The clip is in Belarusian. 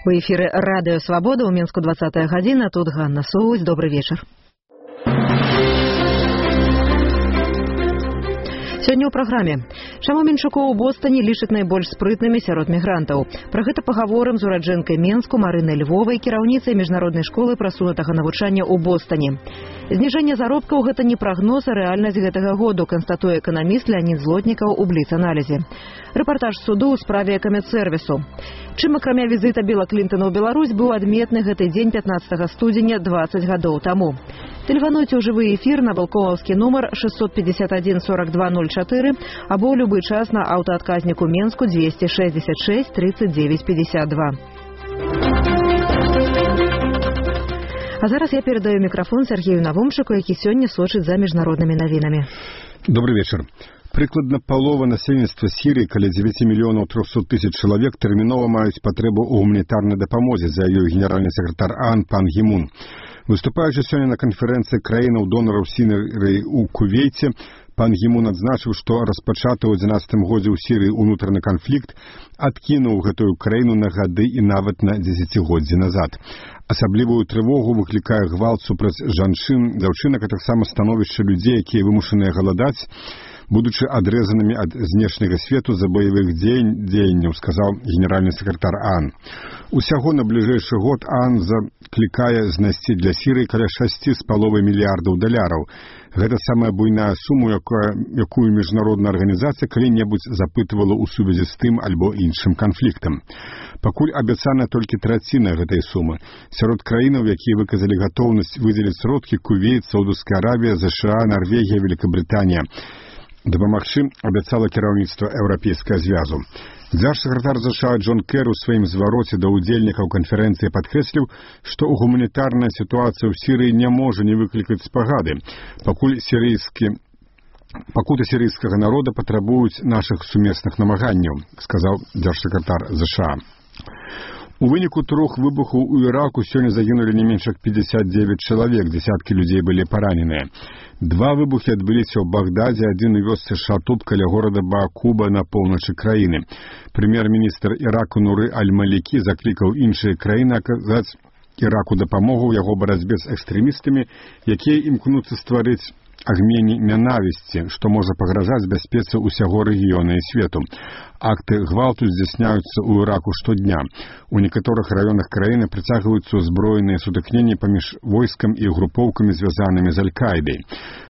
У эфіры Радыё Свабода ў Мінску 20 гадзіна. Тут Ганна Соусь. Добрый вечар. Сёння ў праграме. Чаму менчукоў у Бостоне лічаць найбольш спрытнымі сярод мігрантаў? Пра гэта пагаворым з ураджэнкай Менску Марынай Львовай, кіраўніцай міжнароднай школы прасунутага навучання ў Бостоне. Зніжэнне заробкаў – гэта не прагноз, а рэальнасць гэтага году, канстатуе эканаміст Леонид Злотнікаў у Бліц-аналізе. Рэпартаж суду ў справе камедсервісу. Чым акрамя візіта Біла Клінтона ў Беларусь быў адметны гэты дзень 15 студзеня 20 гадоў таму. Тэлефануйце ў жывы эфір на балконаўскі нумар 651 4204 або ў любы час на аўтаадказніку Менску 266 39 52. А зараз я перадаю мікрафон Сергею Навумчыку, які сёння сочыць за міжнароднымі навінамі. Добрый вечер. Прыкладна палова насельніцтва Сірыі, каля 9 мільёнаў 300 тысяч чалавек, тэрмінова маюць патрэбу ў гуманітарнай дапамозе, заявіў генеральны сакратар АОН пан Гі Мун. Выступаючы сёння на канферэнцыі краінаў-донараў Сірыі ў Кувейце, пан Гі Мун адзначыў, што распачаты ў 11 годзе ў Сірыі ўнутраны канфлікт адкінуў гэтую краіну на гады і нават на дзесяцігоддзі назад. Асаблівую трывогу выклікае гвалт супраць жанчын, дзяўчынак, а таксама становішча людзей, якія вымушаныя галадаць, будучы адрэзанымі ад знешняга свету за баявых дзеянняў, сказаў генеральны сакратар АОН. Усяго на бліжэйшы год АОН заклікае знайсці для Сірыі каля 6,5 мільярдаў даляраў. Гэта самая буйная сума, якую міжнародная арганізацыя калі-небудзь запытывала ў сувязі з тым альбо іншым канфліктам. Пакуль абяцана толькі траціна гэтай сумы. Сярод краінаў, якія выказалі гатоўнасць выдзеліць сродкі, Кувейт, Саудаўская Аравія, ЗША, Нарвегія, Великабрытанія. Дапамагчы абяцала кіраўніцтва Еўрапейскага звязу. Дзяржсакратар ЗША Джон Кэр у сваім звароце да ўдзельнікаў канферэнцыі падкрэсліў, што гуманітарная сітуацыя ў Сірыі не можа не выклікаць спагады, пакуты сірыйскага народа патрабуюць нашых сумесных намаганняў, сказаў дзяржсакратар ЗША. У выніку 3 выбухаў у Іраку сёння загінулі не менш як 59 чалавек, дзесяткі людзей былі параненыя. 2 выбухі адбыліся ў Багдадзе, адзін у вёсцы Шатут каля горада Баакуба на поўначы краіны. Прэм'ер-міністр Іраку Нуры Аль-Малікі заклікаў іншыя краіны аказаць Іраку дапамогу ў яго барацьбе з экстрэмістамі, якія імкнуцца стварыць агменні нянавісці, што можа пагражаць бяспецы ўсяго рэгіёна і свету. Акты гвалту здзяйсняюцца ў Іраку штодня. У некаторых раёнах краіны прыцягваюцца ўзброеныя сутыкненні паміж войскам і групоўкамі, звязанымі з Аль-Каідай.